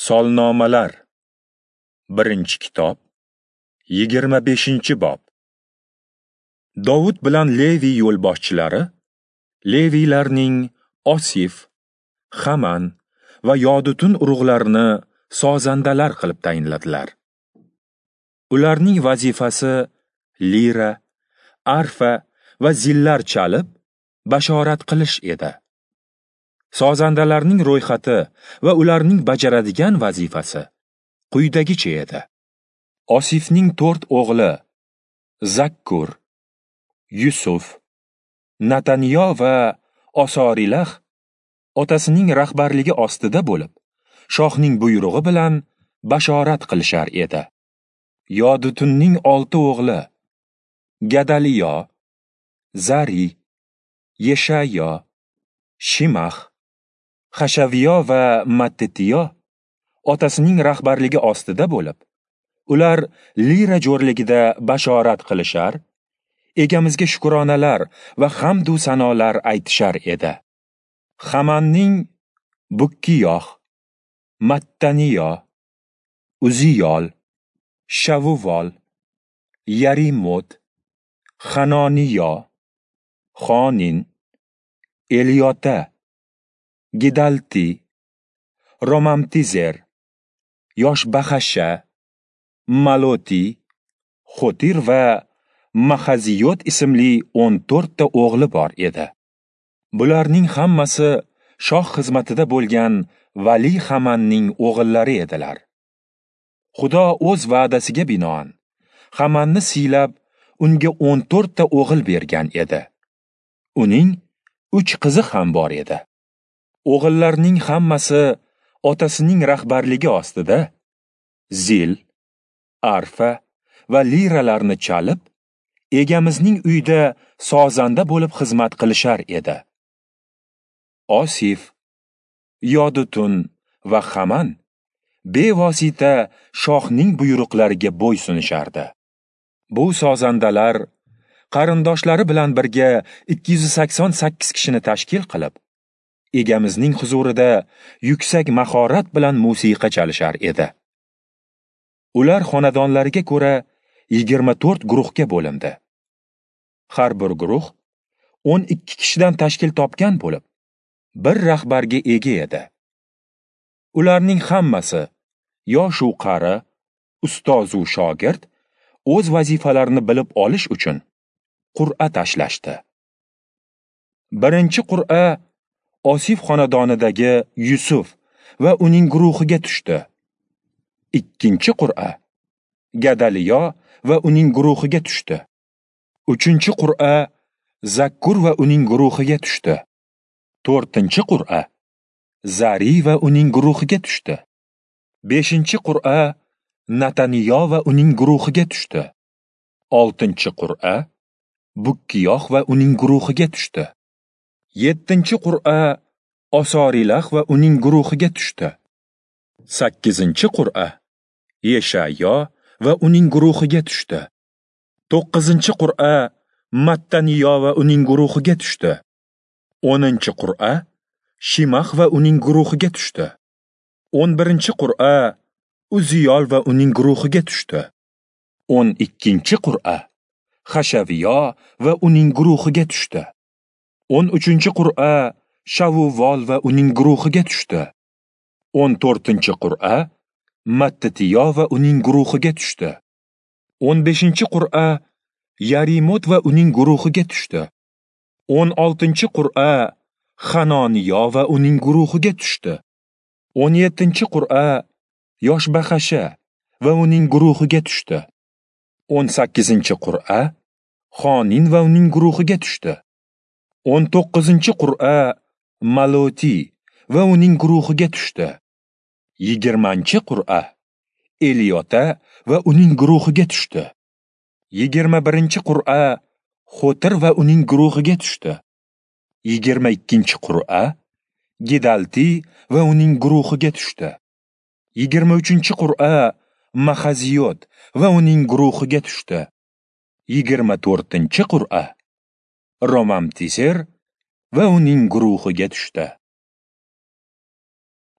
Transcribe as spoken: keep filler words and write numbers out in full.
Solnomalar, birinchi kitob, yigirma beshinchi bob. Dovud bilan Levi yo'lboshchilari Leviylarning Osif, Haman va Yodutun urug'larini sozandalar qilib tayinladilar. Ularning vazifasi lira, arfa va zillar chalib, bashorat qilish edi. Sozandalarning ro'yxati va ularning bajaradigan vazifasi quyidagicha edi. Osifning to'rt o'g'li Zakkur, Yusuf, Nataniyo va Osorilah otasining rahbarligi ostida bo'lib, shohning buyrug'i bilan bashorat qilishar edi. Yodutunning olti o'g'li Gadaliyo, Zari, Yeshayo, Shimax, Hashaviyo va Mattitiyo otasining rahbarligi ostida bo'lib, ular lira jo'rligida bashorat qilishar, egamizga shukronalar va hamd u sanolar aytishar edi. Hamanning Bukkiyoh, Mattaniyo, Uziyol, Shavuvol, Yarimot, Hanoniyo, Xonin, Eliyota, Gidalti, Romamtizer, Yoshbahasha, Maloti, Xotir va Mahaziyot ismli o'n to'rtta o'g'li bor edi. Bularning hammasi shoh xizmatida bo'lgan Vali Hamanning o'g'illari edilar. Xudo o'z va'dasiga binoan Hamanni siylab, unga o'n to'rtta o'g'il bergan edi. Uning uch qizi ham bor edi. O'g'illarning hammasi otasining rahbarligi ostida zil, arfa va liralarni chalib, egamizning uyida sozanda bo'lib xizmat qilishar edi. Osif, Yodutun va Haman bevosita shohning buyruqlariga bo'ysunishardi. Bu sozandalar qarindoshlari bilan birga ikki yuz sakson sakkiz kishini tashkil qilib, egamizning huzurida yuksak mahorat bilan musiqa chalishar edi. Ular xonadonlariga ko'ra yigirma to'rt guruhga bo'lindi. Har bir guruh o'n ikki kishidan tashkil topgan bo'lib, bir rahbarga ega edi. Ularning hammasi yosh u qari, ustoz u shogird o'z vazifalarini bilib olish uchun qur'a tashlashdi. Birinchi qur'a Osif xonadonidagi Yusuf va uning guruhiga tushdi. Ikkinchi qur'a Gadaliyo va uning guruhiga tushdi. Uchinchi qur'a Zakkur va uning guruhiga tushdi. To'rtinchi qur'a Zari va uning guruhiga tushdi. Beshinchi qur'a Nataniyo va uning guruhiga tushdi. Oltinchi qur'a Bukkiyoh va uning guruhiga tushdi. Yettinchi qur'a Osorilah va uning guruhiga tushdi. Sakkizinchi qur'a Yeshayo va uning guruhiga tushdi. To'qqizinchi qur'a Mattaniyo va uning guruhiga tushdi. O'ninchi qur'a Shimax va uning guruhiga tushdi. O'n birinchi qur'a Uziyol va uning guruhiga tushdi. O'n ikkinchi qur'a Hashaviyo va uning guruhiga tushdi. O'n uchinchi qur'a Shavuvol va uning guruhiga tushdi. O'n to'rtinchi qur'a Mattitiyo va uning guruhiga tushdi. O'n beshinchi qur'a Yarimot va uning guruhiga tushdi. O'n oltinchi qur'a Hanoniyo va uning guruhiga tushdi. O'n yettinchi qur'a Yoshbahasha va uning guruhiga tushdi. O'n sakkizinchi qur'a Xonin va uning guruhiga tushdi. O'n to'qqizinchi qur'a Maloti va uning guruhiga tushdi. Yigirmanchi qur'a Eliyota va uning guruhiga tushdi. Yigirma birinchi qur'a Xotir va uning guruhiga tushdi. Yigirma ikkinchi qur'a Gidalti va uning guruhiga tushdi. Yigirma uchinchi qur'a Mahaziyot va uning guruhiga tushdi. Yigirma to'rtinchi qur'a Romamtiser va uning guruhiga tushdi.